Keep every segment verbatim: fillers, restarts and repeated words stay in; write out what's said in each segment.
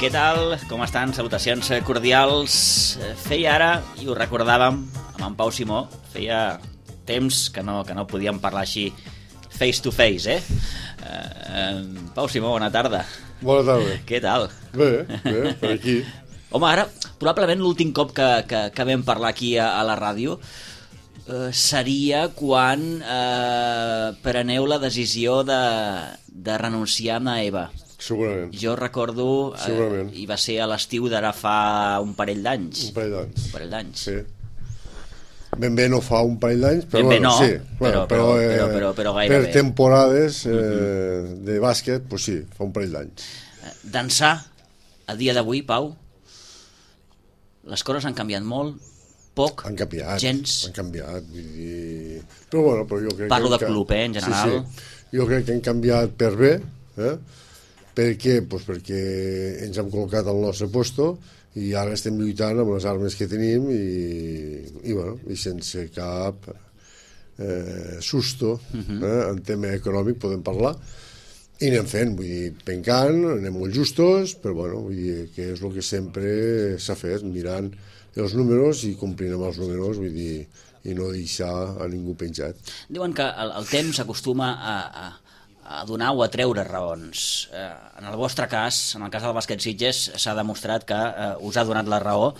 Què tal? Com estan? Salutacions cordials. Feia ara, i ho recordàvem amb en Pau Simó, feia temps que no, que no podíem parlar així face to face, eh? Uh, Pau Simó, bona tarda. Bona tarda. Què tal? Bé, bé, per aquí. Home, ara, probablement l'últim cop que, que, que vam parlar aquí a, a la ràdio eh, seria quan eh, preneu la decisió de, de renunciar a Eva. Segurament. Jo recordo, eh, i va ser a l'estiu d'ara fa un parell d'anys. Un parell d'anys. Un parell d'anys. Sí. Ben bé no fa un parell d'anys, però, ben bé bueno, no, sí. Però, Bueno, però, però, eh, però, però, però gairebé. per temporades eh, uh-huh. de bàsquet, pues sí, fa un parell d'anys. Dansar, a dia d'avui, Pau, les coses han canviat molt, poc, han canviat, gens. Han canviat, vull dir... Però bueno, però jo crec Parlo que... de club, eh, en general. Sí, sí. Jo crec que han canviat per bé, eh? Per què? Pues perquè ens hem col·locat al nostre puesto i ara estem lluitant amb les armes que tenim i, i, bueno, i sense cap eh, susto, uh-huh. eh? En tema econòmic podem parlar, i anem fent, vull dir, pencant, anem molt justos, però bueno, vull dir que és el que sempre s'ha fet, mirant els números i complint amb els números, vull dir, i no deixar a ningú penjat. Diuen que el, el temps acostuma a, a, a donar o a treure raons. Eh, en el vostre cas, en el cas del bàsquet Sitges, s'ha demostrat que eh, us ha donat la raó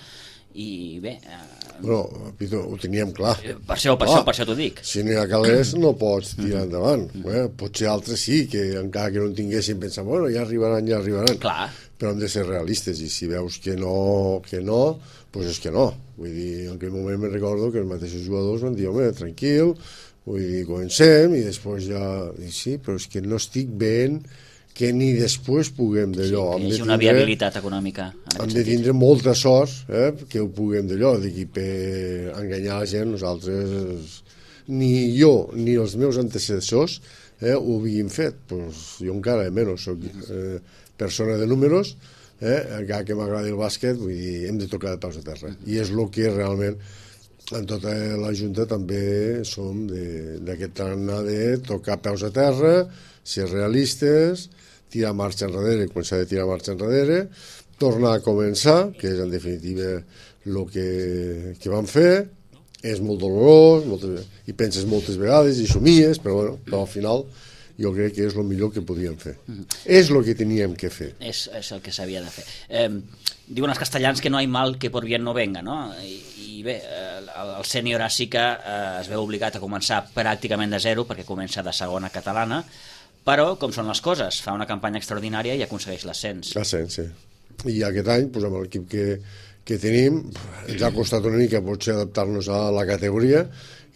i bé... Eh, bueno, Pito, ho teníem clar. Per això, per, clar, això, per això t'ho dic. Si no hi ha calés no pots tirar endavant. Eh? Potser altres sí, que encara que no en tinguessin pensat, bueno, ja arribaran, ja arribaran. Clar. Però hem de ser realistes i si veus que no, que no, doncs és que no. Vull dir, en aquell moment me recordo que els mateixos jugadors van dir, home, tranquil, vull dir, comencem i després ja... I sí, però és que no estic veient que ni després puguem d'allò. Sí, que és una viabilitat econòmica. Hem de tindre molta sort eh, que ho puguem d'allò, d'aquí per enganyar la gent. Nosaltres, ni jo ni els meus antecessors eh, ho havíem fet. Pues jo encara menys soc eh, persona de números, eh, encara que m'agradi el bàsquet, vull dir, hem de tocar de peus a terra. I és el que realment en tota la Junta també som d'aquest tarannà de tocar peus a terra, ser realistes, tirar marxa enrere quan s'ha de tirar marxa enrere, tornar a començar, que és en definitiva el que, que vam fer. És molt dolorós, moltes, i penses moltes vegades i somies, però, bueno, però al final jo crec que és el millor que podíem fer. Mm-hmm. És el que teníem que fer. És, és el que s'havia de fer. Eh, diuen els castellans que no hi ha mal que por bien no venga, no? I, i bé, el, el sènior sí que eh, es veu obligat a començar pràcticament de zero, perquè comença de segona catalana, però, com són les coses, fa una campanya extraordinària i aconsegueix l'ascens. L'ascens, sí. I aquest any, doncs, amb l'equip que, que tenim, ens ha costat una mica potser adaptar-nos a la categoria.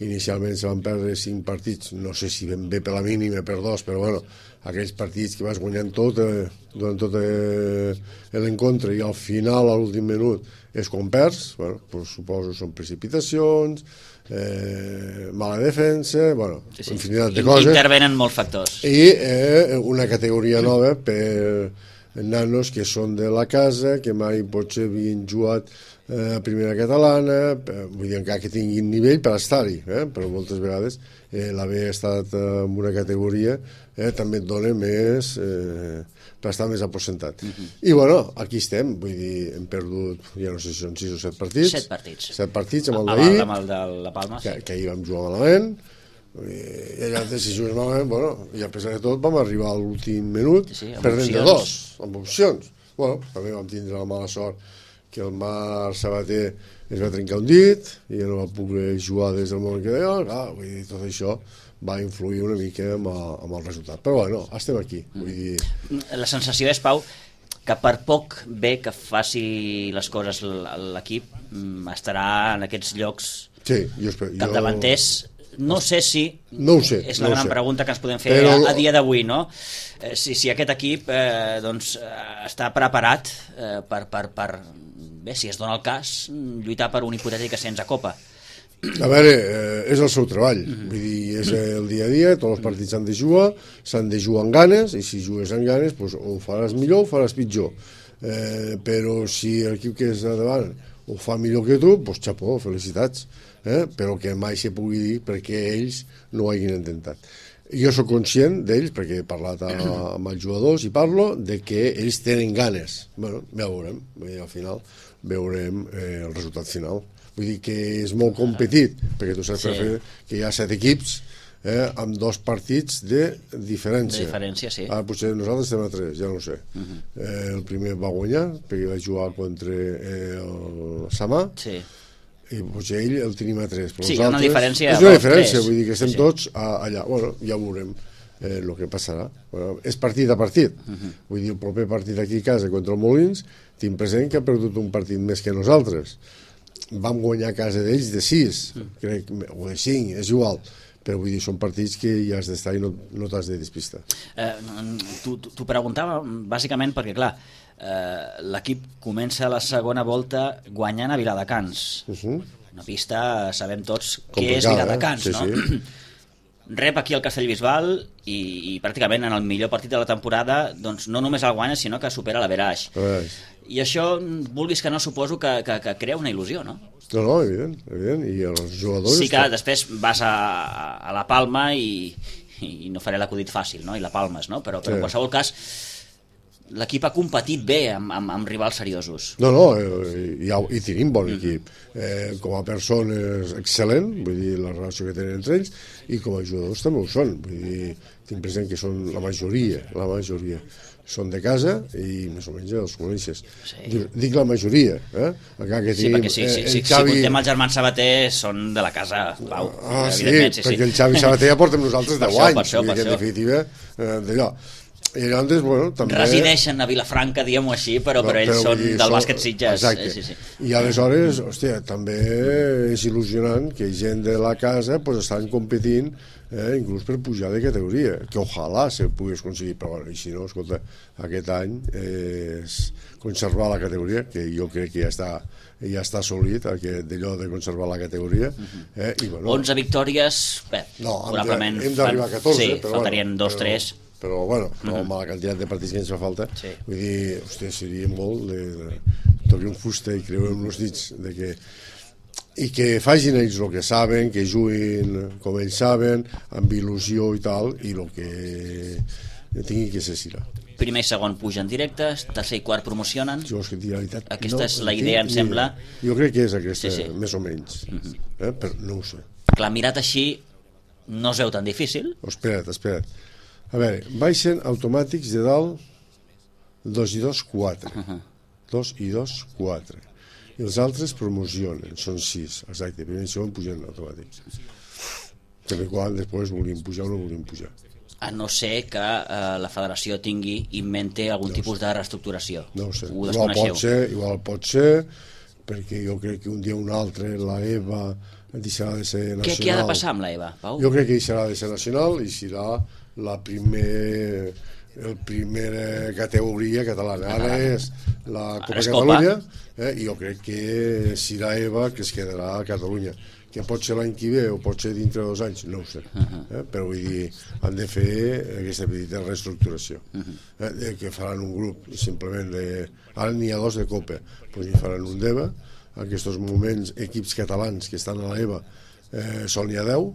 Inicialment se van perdre cinc partits, no sé si ben bé per la mínima, per dos, però bueno, aquells partits que vas guanyant tot eh, durant tot eh, l'encontre i al final, a l'últim minut, és quan perds, bueno, pues, suposo són precipitacions, eh, mala defensa, bueno, sí, sí. infinitat de coses. Intervenen molts factors. I eh, una categoria nova per nanos que són de la casa, que mai potser havien jugat a primera catalana, vull dir, encara que tinguin nivell per estar-hi, eh? Però moltes vegades eh, l'haver estat en una categoria eh, també et dona més eh, per estar més aposentat. Uh-huh. I bueno, aquí estem, vull dir, hem perdut, ja no sé si són sis o set partits. Set partits. Set partits amb el d'ahir. Amb el de la Palma, sí. Que, que ahir vam jugar malament, i allà si jugues malament, bueno, i a pesar de tot vam arribar a l'últim minut sí, sí, perdent de dos, amb opcions. Bueno, també vam tindre la mala sort que el Marc Sabater es va trencar un dit i ja no va poder jugar des del moment que deia, ah, vull dir, tot això va influir una mica amb el, amb el resultat. Però bueno, estem aquí. Vull dir... La sensació és, Pau, que per poc bé que faci les coses l'equip, estarà en aquests llocs sí, jo espero, capdavanters. No sé si, no ho sé, és la no gran sé. pregunta que ens podem fer Però... a, a dia d'avui, no? Eh, si, si aquest equip eh, doncs, eh, està preparat eh, per, per, per, bé, si es dona el cas, lluitar per un hipotètic ascens a Copa. A veure, eh, és el seu treball, mm-hmm. Vull dir, és el dia a dia, tots els partits s'han de jugar, s'han de jugar amb ganes, i si jugues amb ganes, doncs, o ho faràs millor o ho faràs pitjor. Eh, però si l'equip que és a davant ho fa millor que tu, doncs xapó, felicitats. Eh? Però que mai se pugui dir perquè ells no ho hagin intentat. jo sóc conscient d'ells, perquè he parlat a, amb els jugadors i parlo, de que ells tenen ganes. Bueno, ja veurem, i al final veurem eh, el resultat final. Vull dir que és molt competit, perquè tu saps sí. que hi ha set equips eh, amb dos partits de diferència. De diferència, sí. Ara potser nosaltres estem a tres, ja no ho sé. Uh -huh. eh, el primer va guanyar, perquè va jugar contra eh, el Samà, sí. i potser ell el tenim a tres. Sí, hi ha una diferència. És una diferència, vull dir que estem sí. tots a, allà. Bueno, ja veurem el eh, que passarà. Bueno, és partit a partit. Uh -huh. Vull dir, el proper partit aquí a casa contra el Molins, tinc present que ha perdut un partit més que nosaltres. Vam guanyar a casa d'ells de sis, uh -huh. crec, o de cinc, és igual. Però vull dir, són partits que hi has d'estar i no, no t'has de despistar. Eh, T'ho preguntava bàsicament perquè, clar, eh, l'equip comença la segona volta guanyant a Viladecans. Uh -huh. Una pista, sabem tots què és Viladecans, eh? no? Sí, sí. Rep aquí el Castellbisbal i, i pràcticament en el millor partit de la temporada doncs no només el guanya, sinó que supera l'Averaix. I això, vulguis que no, suposo que, que, que crea una il·lusió, no? No, no, evident, evident. I els jugadors... Sí que després vas a, a la Palma i, i no faré l'acudit fàcil, no? I la palmes, no? Però, però sí. en qualsevol cas l'equip ha competit bé amb, amb, amb rivals seriosos. No, no, i, i tenim bon equip. Eh, com a persones excel·lent, vull dir, la relació que tenen entre ells, i com a jugadors també ho són. Vull dir, tinc present que són la majoria, la majoria són de casa i més o menys els coneixes. Sí. Dic, dic la majoria, eh? Encara que sí, tenim, perquè sí, sí, eh, sí, Xavi... si contem els germans Sabater són de la casa, Pau. Ah, sí, sí, perquè sí. el Xavi Sabater ja portem nosaltres deu anys, per això, per això. En definitiva, eh, d'allò. I llavors, bueno, també... Resideixen a Vilafranca, diguem-ho així, però, però, però ells però, són dir, del bàsquet Sitges. Exacte. Sí, sí. I aleshores, hòstia, també és il·lusionant que gent de la casa pues, estan competint eh, inclús per pujar de categoria, que ojalà se pogués aconseguir, però bueno, i si no, escolta, aquest any eh, és conservar la categoria, que jo crec que ja està ja està assolit, d'allò de conservar la categoria. Eh, i, bueno, onze victòries, bé, no, probablement... Hem d'arribar a catorze, sí, però faltarien bueno, dos, tres... però bueno, no, amb la quantitat de partits que ens fa falta, sí. Vull dir, hòstia, seria molt de, de tocar un fusta i creuem els dits de que, i que facin ells el que saben, que juguin com ells saben, amb il·lusió i tal, i el que tingui que ser serà. Primer i segon pugen directes, tercer i quart promocionen. Jo, és que, realitat, aquesta no, és la idea, em sembla. Jo crec que és aquesta, sí, sí. més o menys, uh -huh. eh? però no ho sé. Clar, mirat així no es veu tan difícil. Oh, espera't, espera't. A veure, baixen automàtics de dalt dos i dos, quatre. Uh -huh. dos i dos, quatre. I els altres promocionen, són sis, exacte, primer i segon pugen automàtics. També quan després volien pujar o no volien pujar. A no ser que eh, la federació tingui, invente algun no tipus de reestructuració. No ho sé, ho igual pot ser, igual pot ser, perquè jo crec que un dia o un altre la EVA deixarà de ser nacional. Què, què ha de passar amb la EVA, Pau? Jo crec que deixarà de ser nacional i serà la primer, el primera categoria catalana. Ara és la Copa Catalunya, eh, i jo crec que serà EVA que es quedarà a Catalunya. Que pot ser l'any que ve o pot ser dintre de dos anys, no ho sé. Eh? Però vull dir, han de fer aquesta petita reestructuració. Eh? Que faran un grup, simplement, de... ara n'hi ha dos de Copa, doncs hi faran un d'EVA. En aquests moments, equips catalans que estan a l'EVA eh, són n'hi ha deu,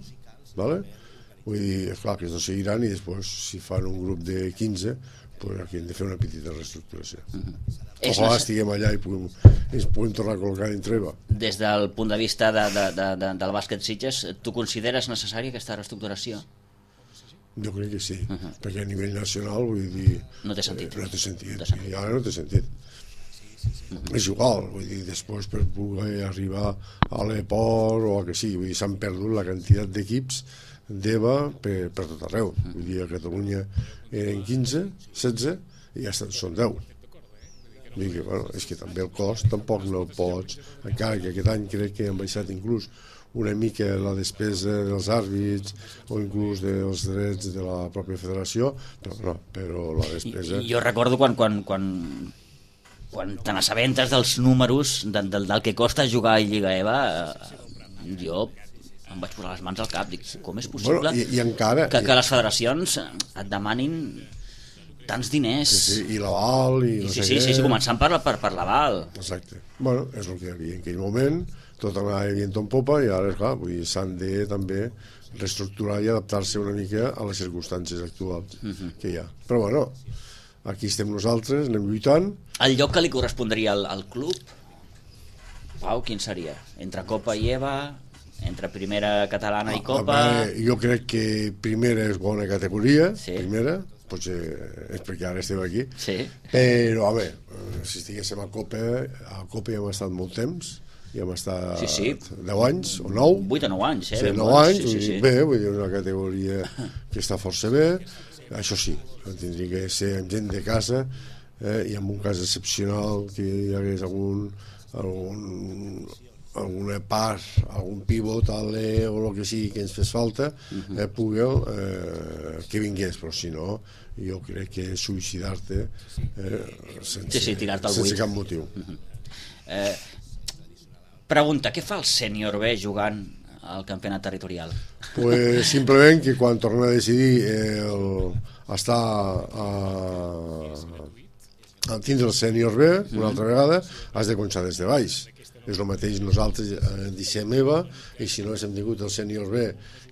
¿vale? Vull dir, esclar, que estos seguiran i després, si fan un grup de quinze, pues aquí hem de fer una petita reestructuració. Uh-huh. Ojalà estiguem allà i puguem, ens puguem tornar a col·locar dintre EVA. Des del punt de vista de, de, de, de, del bàsquet Sitges, tu consideres necessària aquesta reestructuració? Jo crec que sí, uh-huh. perquè a nivell nacional, vull dir... No té sentit. Eh, no té sentit, no té sentit. I ara no té sentit. Uh-huh. És igual, vull dir, després per poder arribar a l'Eport o a que sigui, vull dir, s'han perdut la quantitat d'equips d'EVA per, per tot arreu. Vull dir, a Catalunya eren quinze, setze i ja estan, són deu. Vull dir que, bueno, és que també el cost tampoc no el pots, encara que aquest any crec que han baixat inclús una mica la despesa dels àrbits o inclús dels drets de la pròpia federació, però no, però la despesa... I, jo recordo quan, quan, quan, quan te n'assabentes dels números de, del, del que costa jugar a Lliga EVA, eh, jo em vaig posar les mans al cap, dic, com és possible bueno, i, i encara, que, que les federacions et demanin tants diners. Sí, sí, i l'aval, i no sí, sé sí, què. sí, sí, començant per, per, per l'aval. Exacte. Bueno, és el que hi havia en aquell moment, tot anava vient en popa, i ara, esclar, vull dir, s'han de també reestructurar i adaptar-se una mica a les circumstàncies actuals uh-huh. que hi ha. Però bueno, aquí estem nosaltres, anem lluitant. El lloc que li correspondria al, al club, Pau, quin seria? Entre Copa i Eva, entre primera catalana i Copa... A veure, jo crec que primera és bona categoria, sí. primera, potser és perquè ara estem aquí, sí. però, home, si estiguéssim a Copa, a Copa ja hem estat molt temps, ja hem estat sí, sí. deu anys o nou. vuit o nou anys, eh? Sí, nou anys, sí, sí, sí. Bé, vull dir, una categoria que està força bé, això sí, tindria que ser amb gent de casa, eh, i en un cas excepcional que hi hagués algun, algun alguna part, algun pivot ale, o el que sigui que ens fes falta uh-huh. eh, Pugel eh, que vingués, però si no jo crec que és suïcidar-te eh, sense, sí, sí, sense cap motiu uh-huh. eh, Pregunta, què fa el sènior B jugant al campionat territorial? Pues simplement que quan torna a decidir eh, el, estar a, a tindre el sènior B una uh-huh. altra vegada has de començar des de baix. És el mateix, nosaltres eh, deixem Eva, i si no hem tingut el sènior B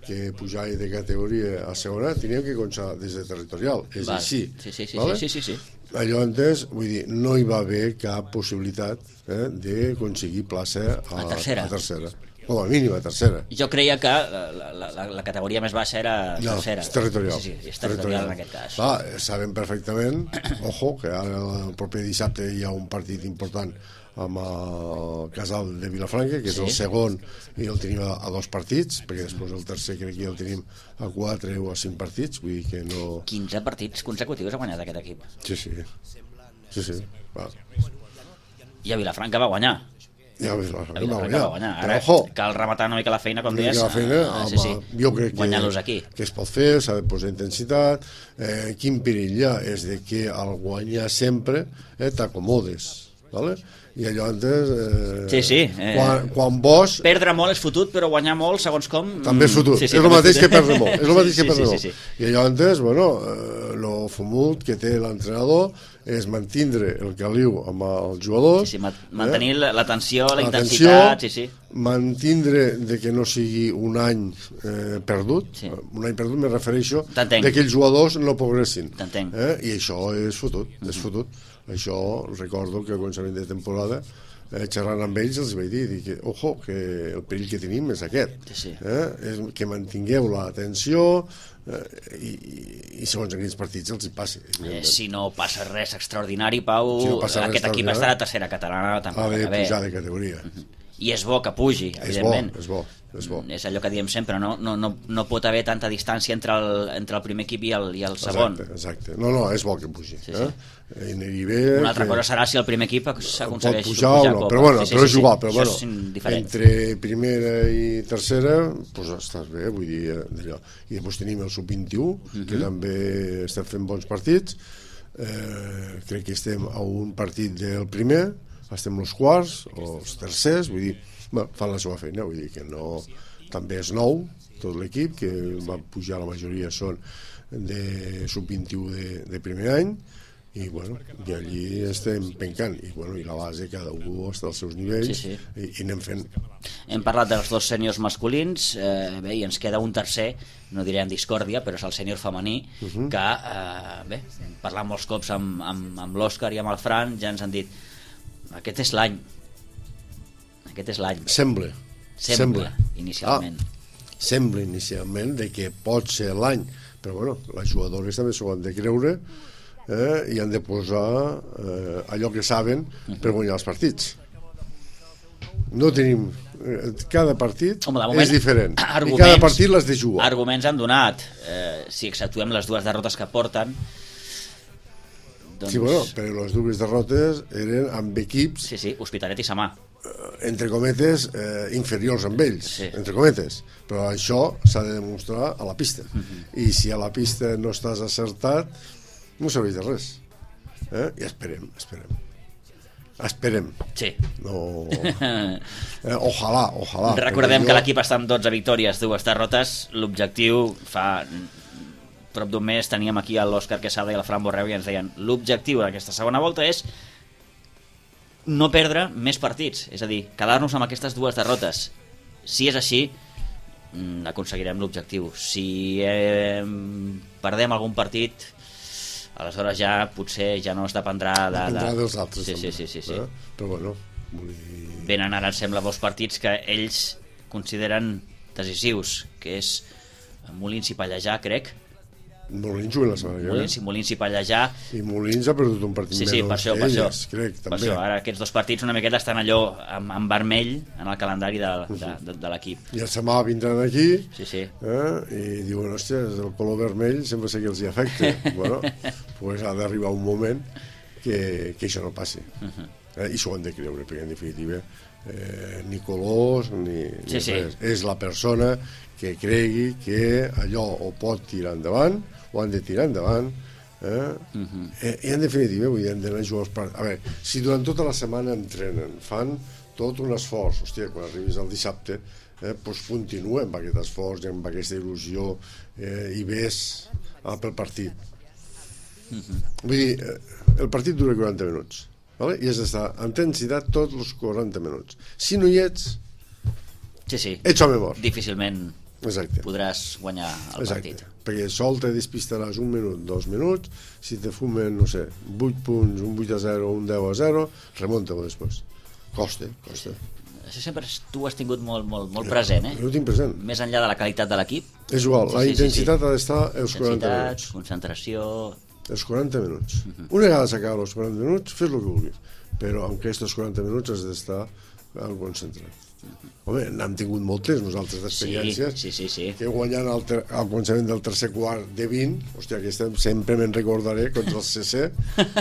que pujava de categoria a segona, teníem que començar des de territorial, és Val. així sí, sí, sí, vale? sí, sí, sí. Allò entès, vull dir, no hi va haver cap possibilitat eh, d'aconseguir plaça a, a tercera, a tercera. Com a mínim a tercera. Jo creia que la, la, la, la categoria més baixa era no, tercera. És territorial. Sí, sí, és territorial, territorial en aquest cas. Clar, sabem perfectament, ojo, que ara el proper dissabte hi ha un partit important amb el Casal de Vilafranca, que és sí. el segon, i el tenim a, a dos partits, perquè després el tercer crec que el tenim a quatre o a cinc partits, vull dir que no... quinze partits consecutius ha guanyat aquest equip. Sí, sí. Sí, sí. Va. I a Vilafranca va guanyar. Ja, a Vilafranca, a Vilafranca va guanyar. Va guanyar. Ara però, cal rematar una mica la feina, com deies. La feina, ah, home, sí, sí. Jo crec que, aquí. que es pot fer, s'ha de posar intensitat. Eh, quin perill hi ha és de que al guanyar sempre eh, t'acomodes, ¿vale? I allò antes eh, sí, sí, eh, quan, quan vos perdre molt és fotut, però guanyar molt segons com també és fotut, sí, sí, és el mateix que perdre molt és el mateix sí, que perdre sí, molt sí, sí. I allò antes, bueno, eh, lo fumut que té l'entrenador és mantindre el caliu amb els jugadors, sí, sí, mantenir eh? l'atenció, la intensitat, sí, sí. Mantindre de que no sigui un any eh, perdut, sí. un any perdut me refereixo de que els jugadors no progressin, eh? I això és fotut, és uh-huh. fotut. Això recordo que al començament de temporada eh, xerrant amb ells els vaig dir, dir que, ojo, que el perill que tenim és aquest, sí. eh? És que mantingueu l'atenció eh, i, i segons en quins partits els hi passi. Eh, si no passa res extraordinari, Pau, si no aquest equip estarà a tercera catalana ha de pujar de categoria. Uh-huh. I és bo que pugi, evidentment. És bo, és bo. És allò que diem sempre, no, no, no, no pot haver tanta distància entre el, entre el primer equip i el, i el segon. Exacte, exacte. No, no, és bo que pugi. Sí, sí. Eh? Bé, una altra que... cosa serà si el primer equip s'aconsegueix pujar, pujar o no, però bueno, sí, sí, però sí, jugar, sí. però bueno, entre primera i tercera, pues estàs bé, vull dir, d'allò. I després tenim el sub vint-i-u, uh-huh. que també estem fent bons partits, eh, crec que estem a un partit del primer, estem els quarts o els tercers, vull dir, bueno, fan la seva feina, vull dir que no, també és nou tot l'equip, que va pujar, la majoria són de sub vint-i-u de, de primer any, i bueno, i allí estem pencant, i bueno, i la base cada un està als seus nivells, sí, sí. I, i anem fent. Hem parlat dels dos sèniors masculins, eh, bé, i ens queda un tercer, no diré en discòrdia, però és el sènior femení, uh-huh. que, eh, bé, parlant molts cops amb, amb, amb l'Òscar i amb el Fran, ja ens han dit, aquest és l'any, aquest és l'any. Sembla. Sembla, sembla. inicialment. Ah, sembla inicialment de que pot ser l'any, però bueno, les jugadores també s'ho han de creure eh, i han de posar eh, allò que saben per guanyar els partits. No tenim... Eh, cada partit Home, moment, és diferent i cada partit l'has de jugar. Arguments han donat, eh, si exceptuem les dues derrotes que porten, doncs... Sí, bueno, però les dues derrotes eren amb equips... Sí, sí, Hospitalet i Samà. Entre cometes, eh, inferiors amb ells, sí. entre cometes. Però això s'ha de demostrar a la pista. Uh-huh. I si a la pista no estàs acertat, no serveix de res. Eh? I esperem, esperem. Esperem. Sí. No... Eh, ojalà, ojalà. Recordem jo... que l'equip està amb dotze victòries, dues derrotes. L'objectiu fa prop d'un mes teníem aquí l'Òscar Quesada i el Fran Borreu i ens deien l'objectiu d'aquesta segona volta és no perdre més partits, és a dir, quedar-nos amb aquestes dues derrotes. Si és així, aconseguirem l'objectiu. Si eh, perdem algun partit, aleshores ja potser ja no es dependrà de... Dependrà dels altres, sí, també. Sí, sí, sí, sí. Eh? Però bueno, vull dir... Venen ara, em sembla, dos partits que ells consideren decisius, que és Molins i Pallejà, crec. Molins juguen la setmana que ve. Molins i Molins i Pallejà. I Molins ha perdut un partit sí, sí, menys per això, d'elles, per això. crec, també. Per això, ara aquests dos partits una miqueta estan allò en, en vermell en el calendari de, de, de, de l'equip. I el setmana vindran aquí sí, sí. Eh? I diuen, hòstia, el color vermell sempre sé que els hi afecta. Bueno, pues ha d'arribar un moment que, que això no passi. Uh -huh. eh? I s'ho han de creure, perquè en definitiva eh, ni colors ni, ni sí, sí. res. És la persona que cregui que allò ho pot tirar endavant, ho han de tirar endavant, eh? Uh -huh. eh, i en definitiva vull dir, han d'anar a jugar els partits. A veure, si durant tota la setmana entrenen, fan tot un esforç, hòstia, quan arribis al dissabte eh, doncs continua amb aquest esforç, amb aquesta il·lusió eh, i ves ah, pel partit. Uh -huh. Vull dir, eh, el partit dura quaranta minuts, vale? I has d'estar en intensitat tots els quaranta minuts. Si no hi ets, sí, sí. ets home mort. Difícilment Exacte. podràs guanyar el Exacte. partit. Perquè sol te despistaràs un minut, dos minuts, si te fumen, no sé, vuit punts, un vuit a zero, un deu a zero, remunta-ho després. Costa, costa. Això sempre tu has tingut molt, molt, molt present, eh? Jo ho tinc present. Més enllà de la qualitat de l'equip. És igual, sí, la sí, intensitat sí, sí. ha d'estar els quaranta minuts. Concentració... Els quaranta minuts. Uh -huh. Una vegada s'acaba els quaranta minuts, fes el que vulguis. Però en aquests quaranta minuts has d'estar concentrat. Home, n'hem tingut moltes nosaltres d'experiències sí, sí, sí, sí. que guanyant al, ter al començament del tercer quart de vint, hòstia, aquesta sempre me'n recordaré contra el C C,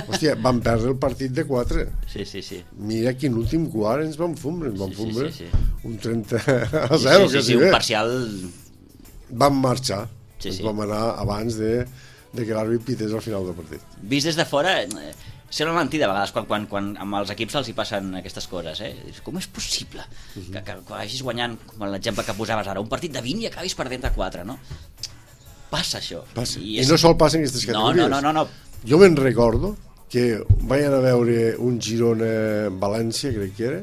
hòstia, van perdre el partit de quatre. Sí, sí, sí. Mira quin últim quart ens van fumbre, ens van sí, fumbre sí, sí, sí. un trenta a zero, sí, sí, que sí, si un bé. parcial... Vam marxar, sí, sí. vam anar abans de, de que l'àrbit pités al final del partit. Vist des de fora... Eh, sembla mentida a vegades quan, quan, quan amb els equips els hi passen aquestes coses, eh? Com és possible uh -huh. que, que, que vagis guanyant, com l'exemple que posaves ara, un partit de vint i acabis perdent de quatre, no? Passa això. Passa. I, és... I no sol passa en aquestes categories. No, no, no, no. Jo me'n recordo que vaig anar a veure un Girona-València, crec que era,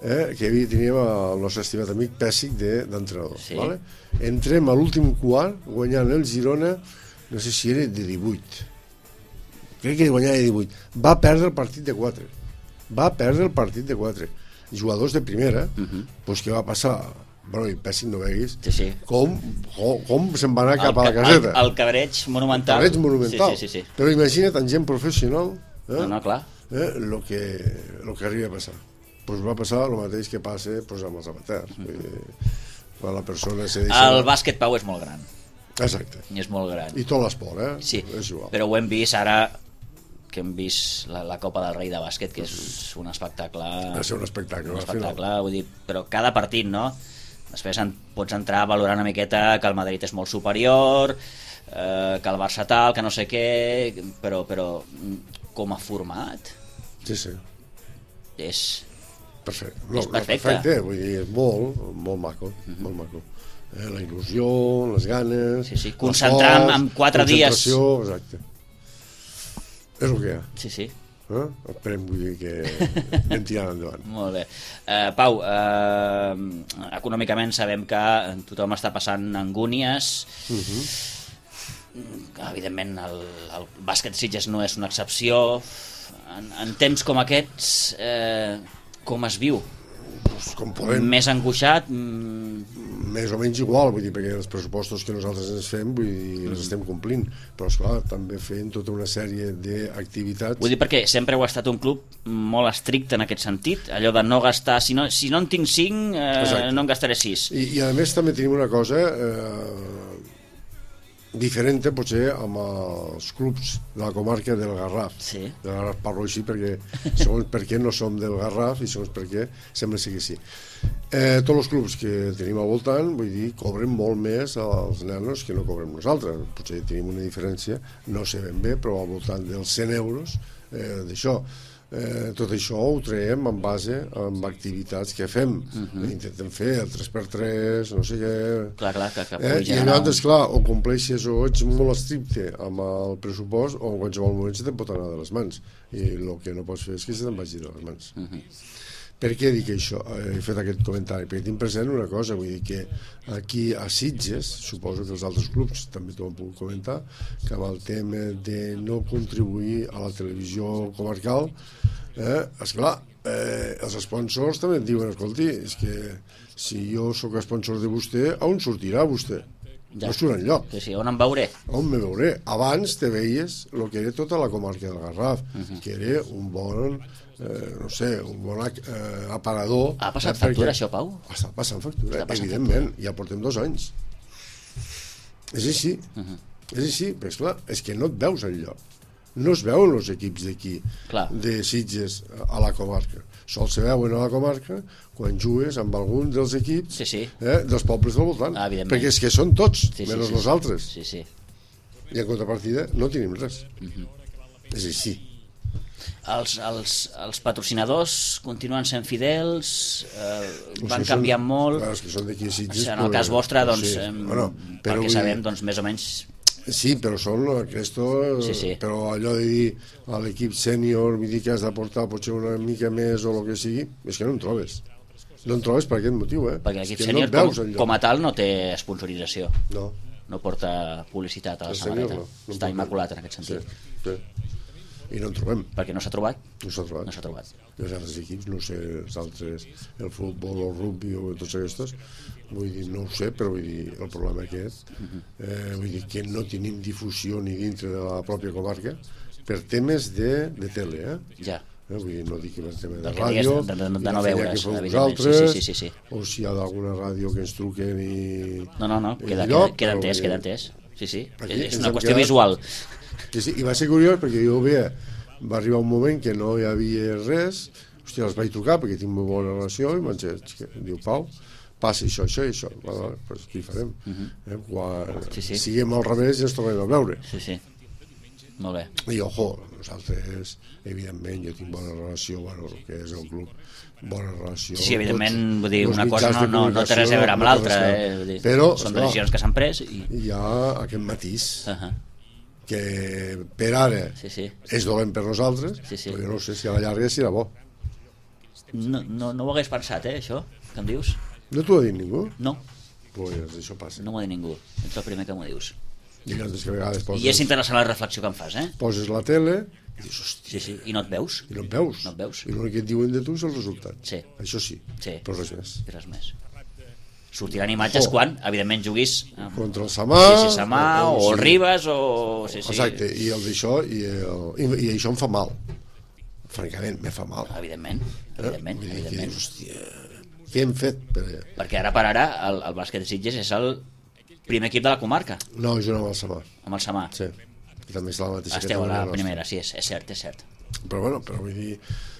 eh, que havia teníem el nostre estimat amic Pèssic d'entrenador. Sí. Vale? Entrem a l'últim quart guanyant el Girona, no sé si era de divuit. Crec que guanyava de divuit. Va perdre el partit de quatre. Va perdre el partit de quatre. Jugadors de primera, uh -huh. doncs què va passar? Bueno, i Pèssic no veguis sí, sí. com, com, com se'n va anar cap el, a la caseta. El, el cabreig monumental. El cabreig monumental. Sí, sí, sí, sí. Però imagina't, en gent professional, eh? No, no, clar. Eh? Lo que, lo que arriba a passar. Pues va passar el mateix que passa pues, amb els amateurs. Uh -huh. Quan la persona se deixa... El bàsquet, Pau, és molt gran. Exacte. I és molt gran. I tot l'esport, eh? Sí, és igual. Però ho hem vist ara que hem vist la, la Copa del Rei de bàsquet, que és un espectacle... Va ser un espectacle. Un espectacle, vull dir, però cada partit, no? Després en, pots entrar a valorar una miqueta que el Madrid és molt superior, eh, que el Barça tal, que no sé què, però, però com a format... Sí, sí. És... Perfecte. No, és perfecte. perfecte, vull dir, és molt, molt maco, uh -huh. molt maco. Eh, la il·lusió, les ganes... Sí, sí, concentrar en, en quatre dies... Exacte. És el que hi ha. Sí, sí. Eh? Esperem, vull dir, que anem tirant endavant. Molt bé. Uh, Pau, uh, econòmicament sabem que tothom està passant angúnies. Uh -huh. Evidentment, el, el bàsquet Sitges no és una excepció. En, en temps com aquests, eh, com es viu? Pues com podem. Més angoixat? Mm... Més o menys igual, vull dir, perquè els pressupostos que nosaltres ens fem, vull dir, els estem complint, però esclar, també fent tota una sèrie d'activitats. Vull dir, perquè sempre heu estat un club molt estricte en aquest sentit, allò de no gastar, si no, si no en tinc cinc, eh, no en gastaré sis. I, I a més també tenim una cosa eh, diferent potser amb els clubs de la comarca del Garraf. Sí. Del Garraf parlo així perquè segons per què no som del Garraf i segons per què sembla ser que sí. Eh, tots els clubs que tenim al voltant, vull dir, cobren molt més als nanos que no cobrem nosaltres. Potser tenim una diferència, no sé ben bé, però al voltant dels cent euros eh, d'això. Eh, tot això ho traiem en base amb activitats que fem. Mhm. Intentem fer el tres per tres, no sé què. Clar, clar, que, que Eh, pugui I generar llavors, clar, o compleixes o ets molt estricte amb el pressupost o en qualsevol moment se te'n pot anar de les mans. I el que no pots fer és que se te'n vagi de les mans. un... Mhm. Per què dic això? He fet aquest comentari perquè tinc present una cosa, vull dir que aquí a Sitges, suposo que els altres clubs també t'ho han pogut comentar, que amb el tema de no contribuir a la televisió comarcal, eh, esclar, eh, els sponsors també et diuen, escolti, és que si jo sóc sponsor de vostè, on sortirà vostè? Ja. No surt enlloc. Sí, sí, on em veuré? On me veuré? Abans te veies el que era tota la comarca del Garraf, Mhm. que era un bon, eh, no sé, un bon ac- eh, aparador. Ha passat eh, factura, perquè- això, Pau? Està passant factura, Està passant evidentment. Ja portem dos anys. És així. Mhm. És així, però esclar, és que no et veus enlloc. No es veuen els equips d'aquí, Clar. de Sitges a la comarca. Sols se veuen a la comarca quan jugues amb algun dels equips Sí, sí. eh, dels pobles del voltant. Ah, evidentment. Perquè és que són tots, Sí, sí, menys sí, nosaltres. Sí, sí. I en contrapartida no tenim res. Mhm. És així. Els, els, els patrocinadors continuen sent fidels, eh, Els van que són- canviant molt. Clar, els que són d'aquí a Sitges... En el pues, cas vostre, doncs, sí. em, Bueno, però perquè vull sabem, dir- doncs, més o menys... Sí, però són aquesto, Sí, sí. però allò de dir a l'equip sènior, vull dir que has d'aportar potser una mica més o el que sigui, és que no en trobes. No en trobes per aquest motiu, eh? Perquè És l'equip que sènior, no et veus com, enlloc. com a tal, no té sponsorització. No, No porta publicitat a la el sènior samarreta. no. no Està pot- immaculat en aquest Sí, sentit. sí. I no en trobem, Perquè no s'ha trobat? no s'ha trobat. No s'ha trobat. I els altres equips, no sé, els altres, el futbol, el rugby o tots aquests, vull dir, no ho sé, però vull dir, el problema aquest, eh, vull dir que no tenim difusió ni dintre de la pròpia comarca per temes de, de tele, eh? Ja. Eh, vull dir, no dic que per tema de Del que ràdio, digues, de- de- de ni la no feina veure's, que feu evidentment. Sí, vosaltres, sí, sí, sí, sí. o si hi ha d'alguna ràdio que ens truquen i... No, no, no, i queda, lloc, queda, queda però entès, vull queda dir, entès. Sí, sí, Aquí és ens una hem qüestió quedat- visual. Que sí, i va ser curiós perquè jo veia, va arribar un moment que no hi havia res, hòstia, els vaig trucar perquè tinc molt bona relació i em vaig dir, diu, Pau, passa això, això i això. Vale, vale, doncs què hi farem? eh, quan Sí, sí. siguem al revés ja ens tornem a veure. Sí, sí. Molt bé. I, ojo, nosaltres, evidentment, jo tinc bona relació, bueno, el que és el club, bona relació. Sí, evidentment, tots vull dir, els una cosa mitjans no, de no, no té res a comunicació, veure amb no té l'altra, res a eh? veure. Vull dir, Però, són esclar, decisions que s'han pres i... hi ha aquest matís Uh -huh. que per ara Sí, sí. és dolent per nosaltres, Sí, sí. però jo no sé si a la llarga serà bo. No, no, no ho hagués pensat, eh, això, que em dius? No t'ho ha dit ningú? No, Pues això passa. no m'ho ha dit ningú. Ets el primer que m'ho dius. I llavors que a vegades poses, I és interessant la reflexió que em fas, eh? poses la tele i dius, hòstia, Sí, sí. I no et veus? i no et veus. No et veus. I l'únic que et diuen de tu és el resultat. Sí. Això sí, Sí. però res més. I res més. Sortiran imatges Oh. quan, evidentment, juguis amb Contra el Samà... sí, sí, Samà o el sí. Ribes o... Sí, sí. Exacte, i el d'això, i, el, i, i això em fa mal. Francament, me fa mal. Evidentment, Eh? evidentment, Vull dir que evidentment. dius, hòstia, què hem fet? Per... Perquè ara per ara el, el bàsquet de Sitges és el primer equip de la comarca, No, jo no amb el Samà. amb el Samà. Sí, que també és la mateixa Esteu a la categoria primera, sí, és, és cert, és cert. nostra. Però bueno, però vull dir,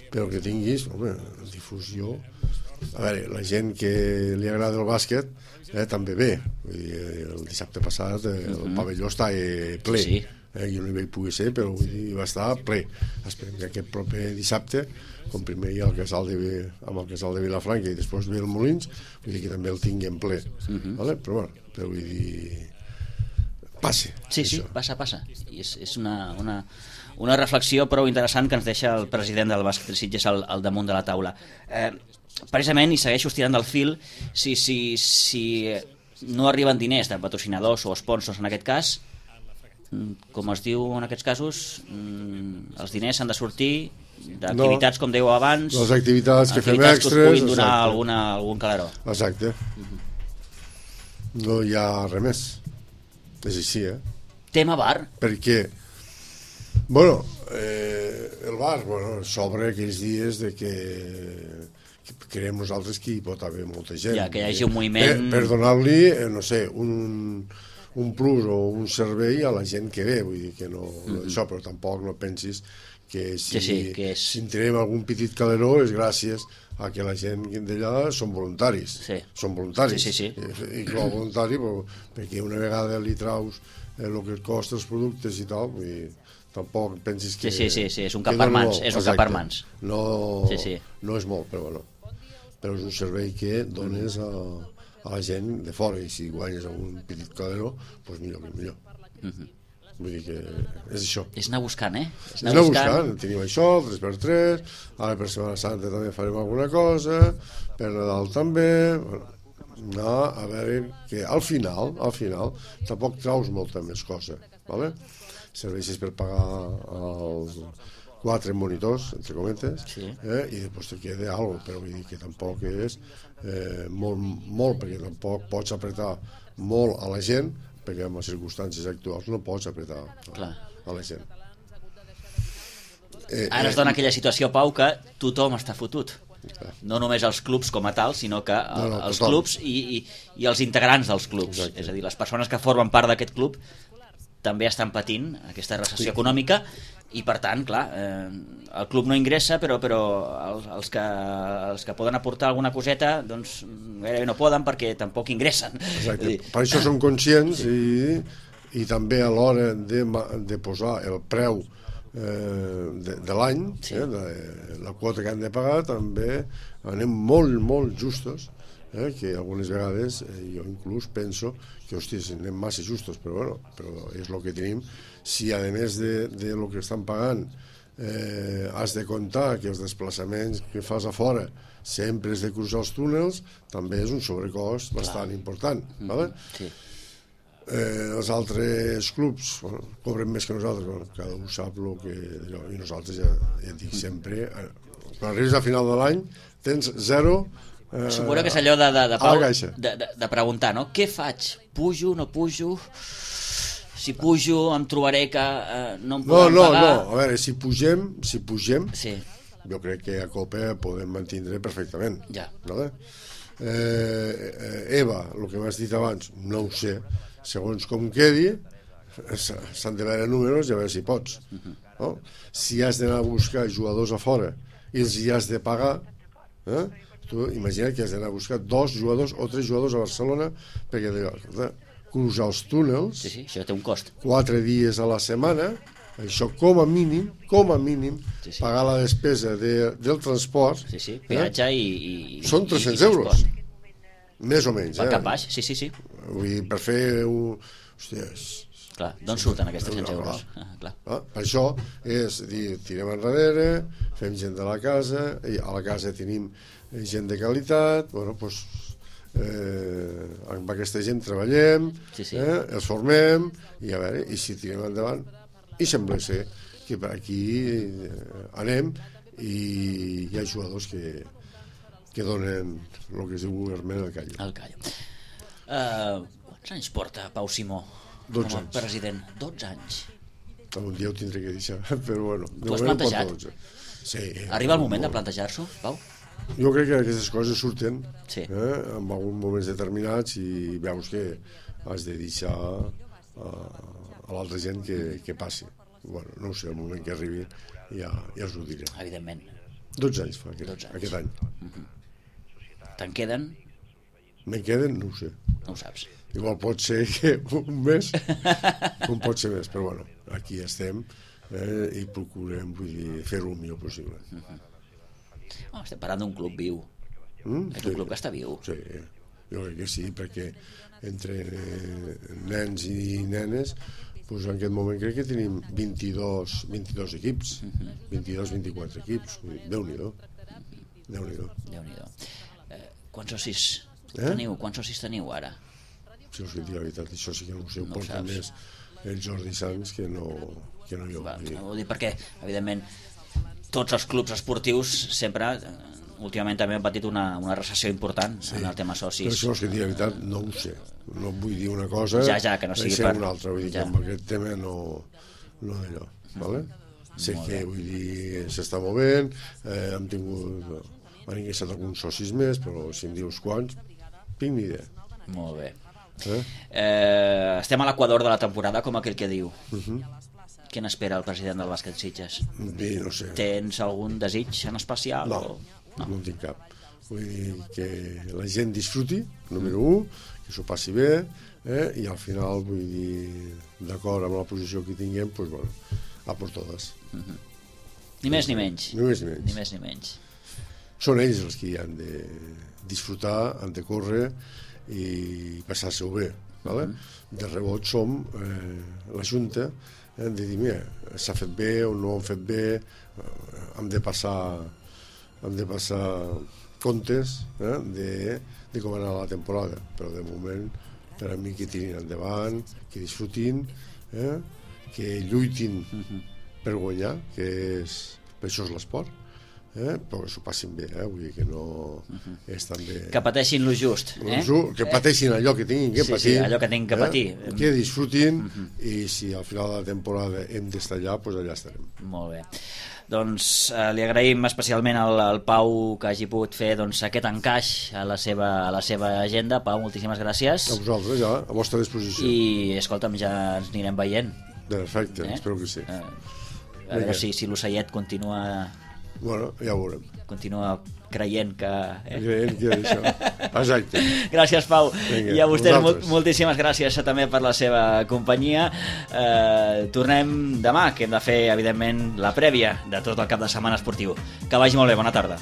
però que tinguis, home, difusió... A veure, la gent que li agrada el bàsquet eh, també ve. Vull dir, el dissabte passat eh, el Mhm. pavelló està eh, ple. Sí, sí. Eh, jo no hi vaig poder ser, però vull dir, va estar ple. Esperem que aquest proper dissabte, com primer hi ha el casal de, amb el casal de Vilafranca i després ve el Molins, vull dir que també el tinguem ple. Mhm. Vale? Però bueno, però vull dir... Passe. Sí, sí, això. passa, passa. I és, és una, una, una reflexió prou interessant que ens deixa el president del bàsquet de Sitges al, al damunt de la taula. Eh, precisament, i segueixo estirant del fil, si, si, si no arriben diners de patrocinadors o sponsors en aquest cas, mm, com es diu en aquests casos, mm, els diners s'han de sortir d'activitats, com dèieu abans, Les activitats que fem activitats extres... que us puguin donar exacte. alguna, algun calaró. Exacte. No hi ha res més. És així, eh? Tema bar, Perquè, bueno, eh, el bar, bueno, s'obre aquells dies de que, que creiem nosaltres que hi pot haver molta gent. Ja, que hi hagi un moviment- Per, per donar-li, eh, no sé, un, un plus o un servei a la gent que ve, vull dir que no, no això, però tampoc no pensis que si, Sí, sí, que és- si en tenim algun petit caleró és gràcies a que la gent d'allà són voluntaris. Sí. Són voluntaris. Sí, sí, sí. I, i com a voluntari, però, perquè una vegada li traus eh, el que et costa els productes i tal, vull dir, tampoc pensis que... Sí, sí, sí, sí, és un cap per mans, és un cap per mans. No, sí, sí. no és molt, però bueno, però és un servei que dones a, a la gent de fora, i si guanyes a un petit calero, doncs millor que millor. Mm-hmm. Vull dir que és això. És anar buscant, eh? És anar, anar buscant. buscant. Tenim això, tres per tres, ara per Setmana Santa també farem alguna cosa, per Nadal també, bueno, anar a veure que al final, al final, tampoc traus molta més cosa, ¿vale? Serveixes per pagar els quatre monitors, entre cometes, sí. eh, i després te queda alguna cosa, però vull dir que tampoc és eh, molt, molt, perquè tampoc pots apretar molt a la gent, perquè en les circumstàncies actuals no pots apretar a, a la gent. Eh, Ara es dona eh, aquella situació, Pau, que tothom està fotut. Clar. No només els clubs com a tal, sinó que el, no, no, els clubs i, i, i els integrants dels clubs. Exacte. És a dir, les persones que formen part d'aquest club també estan patint aquesta recessió sí. econòmica, i per tant, clar, eh, el club no ingressa, però, però els, els, que, els que poden aportar alguna coseta doncs gairebé no poden perquè tampoc ingressen. Exacte. Dir... Per això som conscients i, i també a l'hora de, de posar el preu eh, de, de l'any, sí. eh, de la quota que han de pagar, també anem molt, molt justos, eh, que algunes vegades eh, jo inclús penso que, hòstia, anem massa justos, però bueno, però és el que tenim. Si a més de, de lo que estan pagant eh, has de comptar que els desplaçaments que fas a fora sempre has de cruzar els túnels, també és un sobrecost bastant Clar. important, mm-hmm. vale? Sí. Eh, els altres clubs bueno, cobren més que nosaltres, bueno, cada un sap el que... I nosaltres ja, ja dic sempre, eh, quan arribes a final de l'any tens zero. Eh, Suposo que és allò de, de, de, Pau, de, de, de preguntar, no? Què faig? Pujo, no pujo? Si pujo em trobaré que eh, no em poden no, no, pagar... No, no, a veure, si pugem, si pugem sí. jo crec que a Copa podem mantindre perfectament. Ja. Vale? Eh, Eva, el que m'has dit abans, no ho sé, segons com quedi, s'han de veure números i a veure si pots. Uh-huh. No? Si has d'anar a buscar jugadors a fora i els hi has de pagar, eh? Tu imagina't que has d'anar a buscar dos jugadors o tres jugadors a Barcelona perquè de, cruzar els túnels, sí, sí, això té un cost. Quatre dies a la setmana, això com a mínim, com a mínim, sí, sí. pagar la despesa de, del transport. Sí, sí, peatge eh? i, i... Són tres-cents euros. Més o menys, per eh? cap baix, sí, sí, sí. Vull dir, per fer un... Hòstia, clar, d'on sí, surten aquests tres-cents euros? Clar. Ah, clar. Ah, per això és dir, tirem enrere, fem gent de la casa, i a la casa tenim gent de qualitat, bueno, doncs... Eh, amb aquesta gent treballem, sí, sí. Eh, els formem i a veure, i si tirem endavant i sembla ser que per aquí eh, anem i hi ha jugadors que, que donen el que es diu vulgarment el callo. El callo. Uh, quants anys porta Pau Simó com a president? dotze anys. Un dia ho tindré que deixar, però bueno. Tu has plantejat? Sí. Arriba el moment de plantejar-s'ho, Pau? Jo crec que aquestes coses surten sí. eh, en alguns moments determinats i veus que has de deixar a, a l'altra gent que, que passi. Bueno, no ho sé, el moment que arribi ja, ja us ho diré. Evidentment. dotze anys fa aquest, dotze anys. aquest any. Mm-hmm. Te'n queden? Me'n queden? No ho sé. No ho saps. Igual pot ser que un mes, com pot ser més, però bueno, aquí estem eh, i procurem vull dir, fer-ho el millor possible. Mm-hmm. Oh, estem parlant d'un club viu. Mm, és sí. un club que està viu. Sí, jo crec que sí, perquè entre eh, nens i nenes doncs en aquest moment crec que tenim vint-i-dos, vint-i-dos equips, mm-hmm. vint-i-dos vint-i-quatre equips. Déu-n'hi-do. Déu-n'hi-do. Déu-n'hi-do. Eh, quants socis eh? teniu? Quants socis teniu ara? Si us dic la veritat, això sí que no ho sé, ho no porta més el Jordi Sanz que no, que no jo. Va, no vull dir perquè, evidentment, tots els clubs esportius sempre, últimament també han patit una, una recessió important sí. en el tema socis. Però això és que dir la veritat no ho sé. No vull dir una cosa ja, ja, que no sigui per... una altra. Vull dir ja. que amb aquest tema no, no d'allò. Vale? Sé Molt que bé. Vull dir s'està movent, eh, hem tingut... Han ingressat alguns socis més, però si em dius quants, tinc ni idea. Molt bé. Eh? Eh, estem a l'equador de la temporada, com aquell que diu. Uh-huh. Què n'espera el president del bàsquet Sitges? Bé, no sé. Tens algun desig en especial? No, o... no, no en tinc cap. Vull dir que la gent disfruti, número un, que s'ho passi bé, eh? I al final, vull dir, d'acord amb la posició que tinguem, doncs, bueno, a por totes. Uh-huh. Ni més ni menys. Ni més ni menys. Ni més ni menys. Són ells els que han de disfrutar, han de córrer i passar-se-ho bé. Vale? Uh-huh. De rebot som eh, la Junta, eh, de dir, mira, s'ha fet bé o no han fet bé, eh, hem de passar hem de passar comptes eh, de, de com anar la temporada, però de moment per a mi que tirin endavant, que disfrutin, eh, que lluitin uh-huh. per guanyar, que és, per això és l'esport, eh? Però que s'ho passin bé, eh? Vull dir que no uh-huh. és també... Que pateixin lo just, eh? Que pateixin allò que tinguin que sí, patir. Sí, allò que tinguin que patir. Eh? Que disfrutin uh-huh. i si al final de la temporada hem d'estar allà, doncs allà estarem. Molt bé. Doncs eh, li agraïm especialment al, al Pau que hagi pogut fer doncs, aquest encaix a la, seva, a la seva agenda. Pau, moltíssimes gràcies. A vosaltres, ja, a vostra disposició. I, escolta'm, ja ens anirem veient. Perfecte, eh? Espero que sí. Eh, a veure si, si l'Ocellet continua... Bueno, ja ho veurem. Continua creient que... Eh? Creient que és això. Exacte. Gràcies, Pau. Vinga, I a vostès mol, vosaltres. moltíssimes gràcies també per la seva companyia. Eh, tornem demà, que hem de fer, evidentment, la prèvia de tot el cap de setmana esportiu. Que vagi molt bé, bona tarda.